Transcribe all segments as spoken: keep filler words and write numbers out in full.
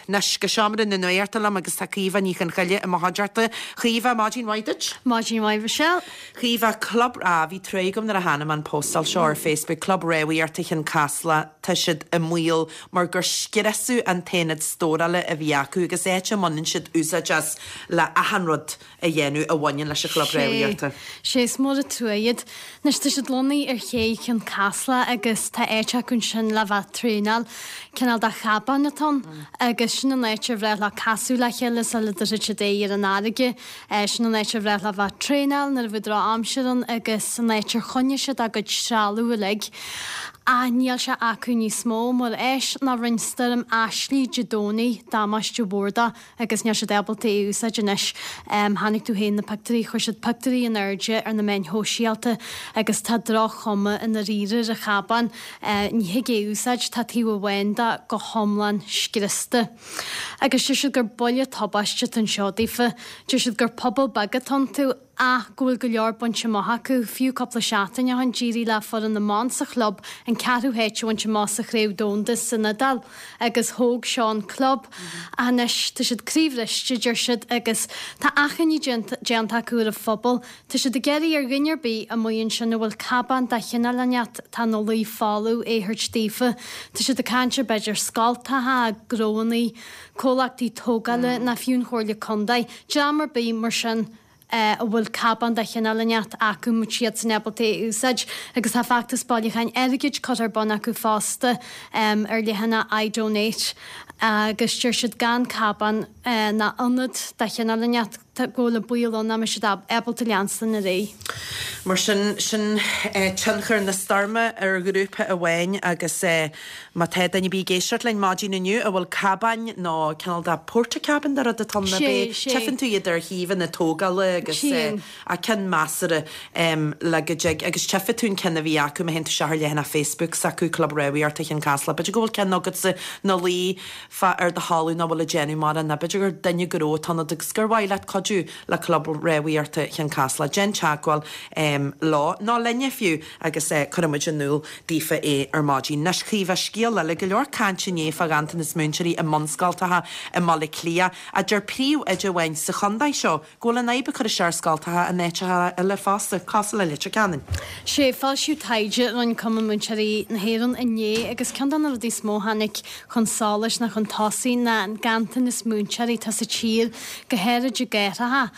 Anois go seomra na nuachta liom agus tá Caoimhe Ní Chonchoille i mo chuideachta. Caoimhe, maidin mhaith duit. Maidin mhaith, Michelle. Caoimhe, club á bhí trua agam nuair a chonaic mé an postáil seo ar Facebook, Club Rámhaíochta Chionn Caslach, tá siad i mbaol mar gur scriosadh an t-aonad stórála a bhí acu agus áit a mbaineann siad úsáid as le achan rud a dhéanamh a bhaineann leis an chlub rámhaíochta. Sé is mór an trua iad. Anois tá siad lonnaithe ar ché Chionn Caslach agus tá áit acu ansin le bheith traenáil. Cineál de chabán atá ann agus sin an áit ar bhreá leo casadh le chéile sula dtabharfaidh siad aghaidh ar an fharraige. Sin an áit ar bhreá leo bheith traenáil nuair a bheadh drochaimsir ann agus an áit ar choinnigh siad a gcuid trealamh uilig. Ach níl sé acu níos mó mar éis ná rinne stoirm Ashley Dé Domhnaigh damáiste mhór dó agus níl siad ábalta é a úsáid anois. Chonaic tú féin na pictiúirí, chuir siad pictiúirí in airde ar na meáin shóisialta agus tá droch-chuma i ndáiríre ar an chabán. Ní thig é a úsáid, tá taobh amháin de go hiomlán scriosta. Agus deir siad gur buille tubaiste atá anseo daofa. Deir siad gur pobal beag atá iontu ach go bhfuil go leor bainte amach acu, fiú cúpla seachtain ó shin d'éirigh le foireann na mban sa chlub an ceathrú háit a bhaint amach sa chraobh domhanda san Iodáil agus thóg seo an club. Ach anois tá siad croíbhriste, deir siad, agus tá achainí déanta acu ar an phobal. Tá siad ag iarraidh ar dhuine ar bith amuigh ansin a bhfuil cabán de chineál inteacht atá ina luí folamh é a thabhairt daofa. Tá siad ag caint ar b'fhéidir scoltacha, gnóannaí, comhlachtaí tógála ná fiú an Chomhairle Contae, dream ar bith mar sin a bhfuil cabán de chineál inteacht acu má tá siadsan ábalta é a úsáid agus tá feachtas bailiúcháin airgid curtha ar bun acu fosta ar leathanach iDonate agus deir siad gan cabán ná ionad de chineál inteacht go bhfuil an baol ann nach mbeidh siad ábalta leanstan ar aghaidh. Mar sin, sin tionchar na stoirme ar ghrúpa amháin agus má tá duine ar bith ag éisteacht linn maidin inniu a bhfuil cabáin nó cineál de portacabin de rud atá ann, tchífeann tú iad ar shuíomhanna tógála agus a ceann measartha le go dtig agus tchífidh tú an ceann a bhí acu má théann tú isteach ar leathanach Facebook s'acu, Club Rámhaíochta Chionn Caslach. B'fhéidir go bhfuil ceann agatsa ina luí fá ar do thalamh nach bhfuil ag déanamh mórán nó b'fhéidir gur duine gnó atá ionat agus gur mhaith leat cuidiú le Club Rámhaíochta Chionn Caslach. Déan teagmháil leo, nó linne fiú, agus cuirfidh muid in iúl daofa é ar maidin. Anois, Caoimhe, scéal eile, go leor cainte inné fá ghanntanas múinteoirí i mbunscoltacha i mBaile Átha Cliath. Ach deir príomhoide amháin sa chontae seo go bhfuil an fhadhb ag cur isteach ar scoltacha in áiteacha eile fosta, cosúil le Leitir Ceanainn. Sé, foilsíodh taighde a rinne Cumann Múinteoirí na hÉireann inné agus ceann de na rudaí is mó a tháinig chun solais ná chun tosaigh ná an ganntanas múinteoirí atá sa tír, go háirid i gcathracha.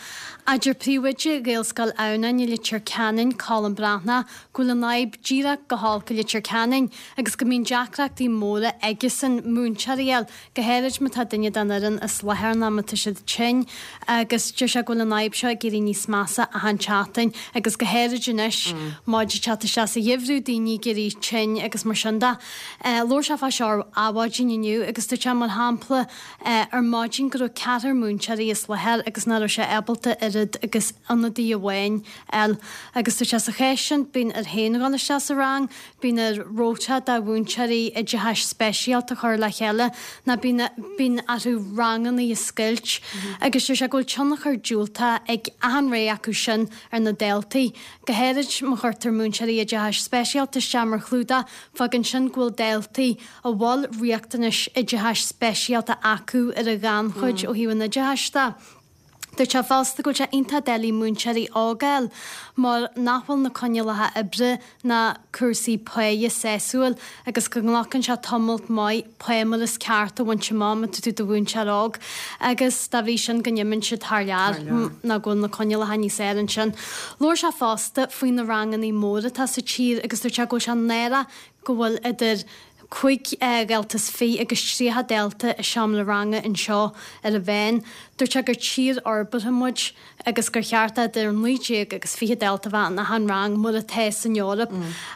Ach deir príomhoide Ghaelscoil Adhamhnáin i Leitir Ceanainn, Colm Breathnach, go bhfuil an fhadhb díreach go holc i Leitir Ceanainn agus go mbíonn deacrachtaí móra aigesan múinteoirí a fháil, go háirid má tá duine den fhoireann as láthair nó má tá siad tinn agus deir sé go bhfuil an fhadhb seo ag éirí níos measa achan tseachtain agus go háirid anois muid ag teacht isteach sa gheimhreadh, daoine ag éirí tinn agus mar sin de. Labhair sé fá seo ar Adhmhaidin inniu agus dúirt sé mar shampla ar maidin go raibh ceathrar múinteoirí as láthair agus nach raibh sé ábalta oiread agus ionadaí amháin a fháil agus dúirt sé sa chás sin bíonn air féin dhul isteach sa rang, bíonn air rota de mhúinteoirí oideachais speisialta a chur le chéile nó bíonn bíonn orthu ranganna a scoilt agus deir sé go bhfuil tionchar diúltach ag achan rogha acu sin ar na daltaí, go háirid má chuirtear múinteoirí oideachais speisialta isteach mar chlúdach, fágann sin go bhfuil daltaí a bhfuil riachtanais oideachais speisialta acu ar an ghannchuid ó thaobh an oideachais de. Dúirt sé fosta go bhfuil sé iontach doiligh múinteoirí óga a fháil mar nach bhfuil na coinníollacha oibre ná cúrsaí páighe sásúil agus go nglacann sé tamalt maith pá mar is ceart a bhaint amach má tá tú i do mhúinteoir óg agus dá bhrí sin go n-imíonn siad thar lear nó go bhfuil na coinníollacha níos fearr ansin. Labhair sé fosta faoi na ranganna móra atá sa tír agus dúirt sé go bhfuil sé náireach go bhfuil idir cúig dhalta is fiche agus tríocha dalta i seomra ranga anseo ar an mheán. Dúirt sé gur tír fhorbartha muid agus gur cheart idir naoi déag agus fiche dalta a bheith in achan rang mar atá san Eoraip.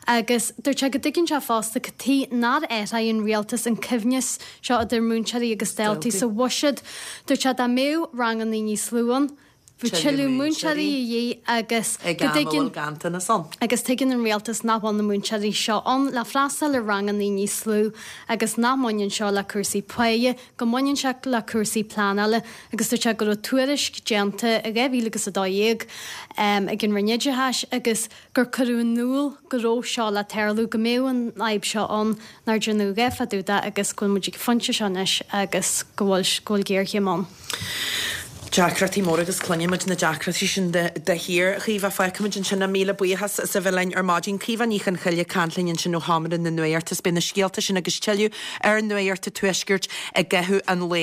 Agus dúirt sé go dtuigeann sé fosta cad chuige nár athraigh an rialtas an coibhneas seo idir múinteoirí agus daltaí sa bhuiséad. Dúirt sé dá mbeadh ranganna níos lú ann, Bhí tuilleadh múinteoirí a dhíth agus go dtuigeann ganntanas ann. Agus tuigeann an rialtas nach bhfuil na múinteoirí seo ann le freastal ar ranganna níos lú agus nach mbaineann seo le cúrsaí páighe, go mbaineann sé le cúrsaí pleanála agus dúirt sé go raibh tuairisc déanta i dhá mhíle agus a dó dhéag ag an Roinn Oideachais agus gur cuireadh in iúl go raibh seo le tarlú, go mbeadh an fhadhb seo ann, nár déanadh a dhath fá dtaobh de agus go bhfuil muid ag an phointe seo anois agus go bhfuil go bhfuil géarchéim ann. Deacrachtaí móra agus cluineann muid na deacrachtaí sin de shíor. A Chaoimhe, fágfaimid ansin é. Míle buíochas as a bheith linn ar maidin. Caoimhe Ní Chonchoille ag caint linn ansin ó Sheomra na Nuachta. Beidh na scéalta sin agus tuilleadh ar Nuacht an Tuaiscirt i gcaitheamh an lae.